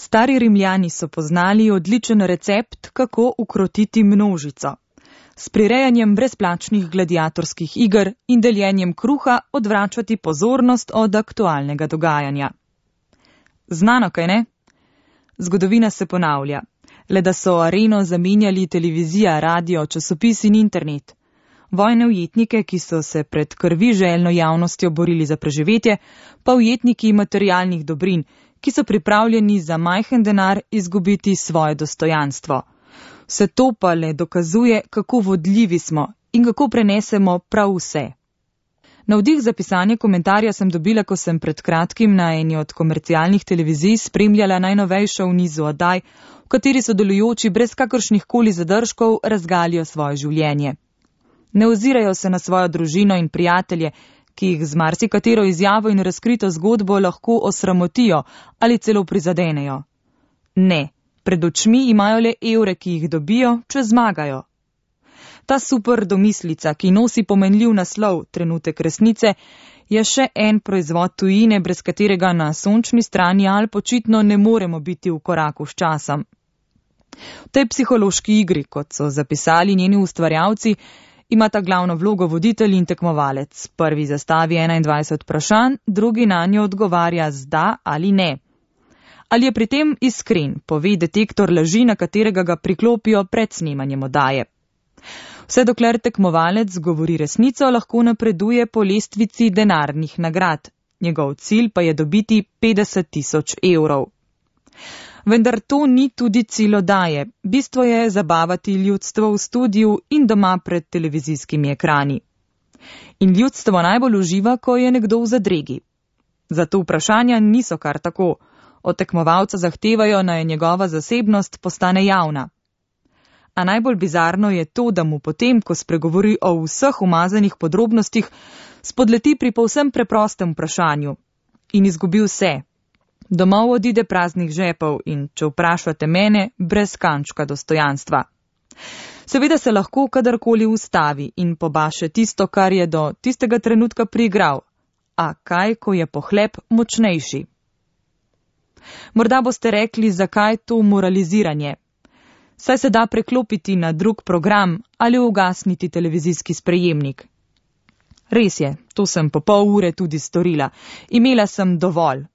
Stari Rimljani so poznali odličen recept, kako ukrotiti množico. S prirejanjem brezplačnih gladiatorskih iger in deljenjem kruha odvračati pozornost od aktualnega dogajanja. Znano, kaj ne? Zgodovina se ponavlja. Le da so areno zamenjali televizija, radio, časopis in internet. Vojne ujetnike, ki so se pred krviželjno javnostjo borili za preživetje, pa ujetniki materialnih dobrin, ki so pripravljeni za majhen denar izgubiti svoje dostojanstvo. Vse to pa le dokazuje, kako vodljivi smo in kako prenesemo prav vse. Navdih za pisanje komentarja sem dobila, ko sem pred kratkim na eni od komercialnih televizij spremljala najnovejšo v nizu oddaj, v kateri sodelujoči brez kakršnih koli zadržkov razgalijo svoje življenje. Ne ozirajo se na svojo družino in prijatelje, ki jih z marsikatero izjavo in razkrito zgodbo lahko osramotijo ali celo prizadenejo. Ne, pred očmi imajo le evre, ki jih dobijo, če zmagajo. Ta super domislica, ki nosi pomenljiv naslov Trenutek resnice, je še en proizvod tujine, brez katerega na sončni strani Alp očitno ne moremo biti v koraku s časom. V tej psihološki igri, kot so zapisali njeni ustvarjalci, imata glavno vlogo voditelj in tekmovalec. Prvi zastavi 21 vprašanj, drugi nanjo odgovarja z da ali ne. Ali je pri tem iskren, pove detektor laži, na katerega ga priklopijo pred snemanjem oddaje. Vse dokler tekmovalec govori resnico, lahko napreduje po lestvici denarnih nagrad. Njegov cilj pa je dobiti 50 000 evrov. Vendar to ni tudi cilj oddaje. Bistvo je zabavati ljudstvo v studiu in doma pred televizijskimi ekrani. In ljudstvo najbolj uživa, ko je nekdo v zadregi. Zato vprašanja niso kar tako. Od tekmovalca zahtevajo, naj njegova zasebnost postane javna. A najbolj bizarno je to, da mu potem, ko spregovori o vseh umazanih podrobnostih, spodleti pri povsem preprostem vprašanju. In izgubi vse. Domov odide praznih žepov in, če vprašate mene, brez kančka dostojanstva. Seveda se lahko kadarkoli ustavi in pobaše tisto, kar je do tistega trenutka priigral. A kaj, ko je pohlep močnejši? Morda boste rekli, zakaj to moraliziranje. Saj se da preklopiti na drug program ali ugasniti televizijski sprejemnik. Res je, to sem po pol ure tudi storila. Imela sem dovolj.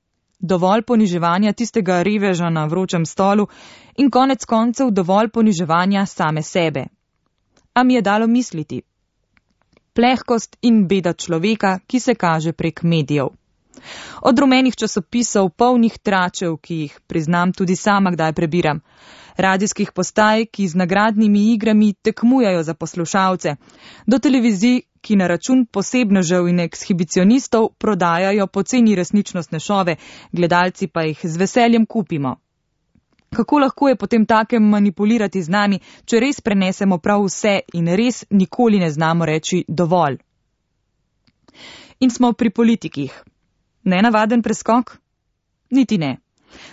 Dovolj poniževanja tistega reveža na vročem stolu in konec koncev dovolj poniževanja same sebe. A mi je dalo misliti. Plehkost in beda človeka, ki se kaže prek medijev. Od rumenih časopisov, polnih tračev, ki jih, priznam, tudi sama kdaj prebiram. Radijskih postaj, ki z nagradnimi igrami tekmujajo za poslušalce, do televizij, ki na račun posebnežev in ekshibicionistov prodajajo poceni resničnostne šove, gledalci pa jih z veseljem kupimo. Kako lahko je potem takem manipulirati z nami, če res prenesemo prav vse in res nikoli ne znamo reči dovolj? In smo pri politikih. Nenavaden preskok? Niti ne.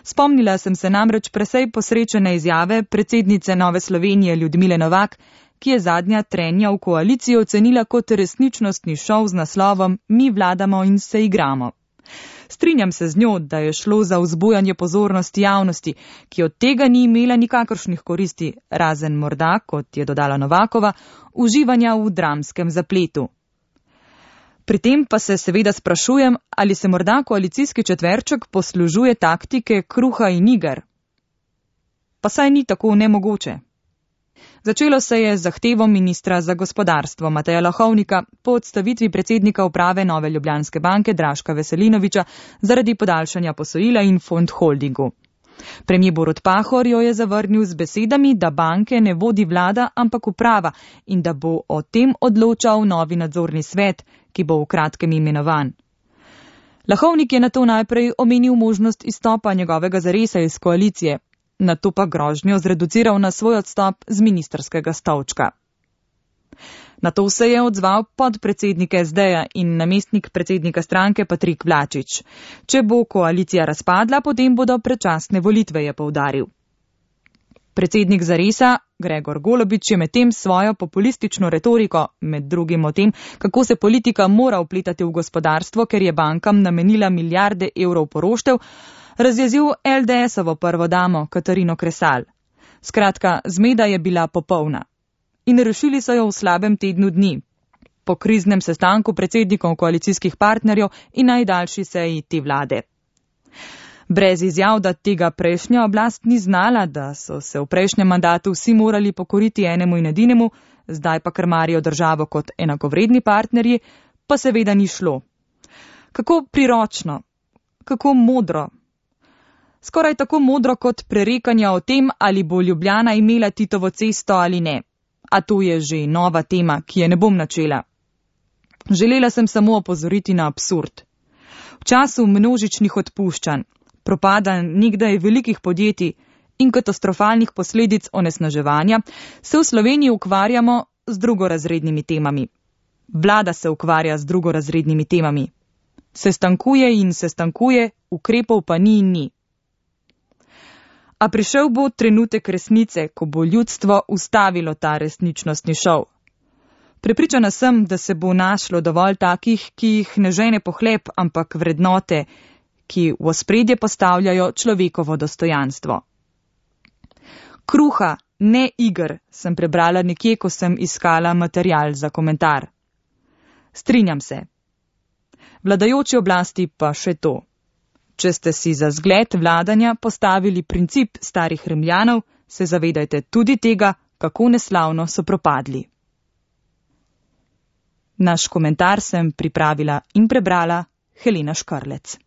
Spomnila sem se namreč presej posrečene izjave predsednice Nove Slovenije Ljudmile Novak, ki je zadnja trenja v koaliciji ocenila kot resničnostni šov z naslovom Mi vladamo in se igramo. Strinjam se z njo, da je šlo za vzbujanje pozornosti javnosti, ki od tega ni imela nikakršnih koristi, razen morda, kot je dodala Novakova, uživanja v dramskem zapletu. Pri tem pa se seveda sprašujem, ali se morda koalicijski četverček poslužuje taktike kruha in iger. Pa saj ni tako nemogoče. Začelo se je z zahtevo ministra za gospodarstvo Mateja Lahovnika po odstavitvi predsednika uprave Nove Ljubljanske banke Draška Veselinoviča zaradi podaljšanja posojila in fond holdingu. Premier Borut Pahor jo je zavrnil z besedami, da banke ne vodi vlada, ampak uprava in da bo o tem odločal novi nadzorni svet, ki bo v kratkem imenovan. Lahovnik je nato najprej omenil možnost izstopa njegovega zaresa iz koalicije, nato pa grožnjo zreduciral na svoj odstop z ministrskega stolčka. Nato se je odzval podpredsednik SD-ja in namestnik predsednika stranke Patrik Vlačič. Če bo koalicija razpadla, potem bodo predčasne volitve, je poudaril. Predsednik Zaresa, Gregor Golobič, je medtem svojo populistično retoriko, med drugim o tem, kako se politika mora vpletati v gospodarstvo, ker je bankam namenila milijarde evrov poroštev, razjezil LDS-ovo prvo damo Katarino Kresal. Skratka, zmeda je bila popolna. In rešili so jo v slabem tednu dni, po kriznem sestanku predsednikov koalicijskih partnerjev in najdaljši seji te vlade. Brez izjav, da tega prejšnja oblast ni znala, da so se v prejšnjem mandatu vsi morali pokoriti enemu in edinemu, zdaj pa krmarijo državo kot enakovredni partnerji, pa seveda ni šlo. Kako priročno, kako modro. Skoraj tako modro kot prerekanja o tem, ali bo Ljubljana imela Titovo cesto ali ne. A to je že nova tema, ki je ne bom načela. Želela sem samo opozoriti na absurd. V času množičnih odpuščanj, propada nekdaj velikih podjetij in katastrofalnih posledic onesnaževanja se v Sloveniji ukvarjamo z drugorazrednimi temami. Vlada se ukvarja z drugorazrednimi temami. Sestankuje in sestankuje, ukrepov pa ni in ni. A prišel bo trenutek resnice, ko bo ljudstvo ustavilo ta resničnostni šov. Prepričana sem, da se bo našlo dovolj takih, ki jih ne žene pohlep, ampak vrednote, ki v ospredje postavljajo človekovo dostojanstvo. Kruha, ne iger, sem prebrala nekje, ko sem iskala material za komentar. Strinjam se. Vladajoči oblasti pa še to. Če ste si za zgled vladanja postavili princip starih Rimljanov, se zavedajte tudi tega, kako neslavno so propadli. Naš komentar sem pripravila in prebrala Helena Škrlec.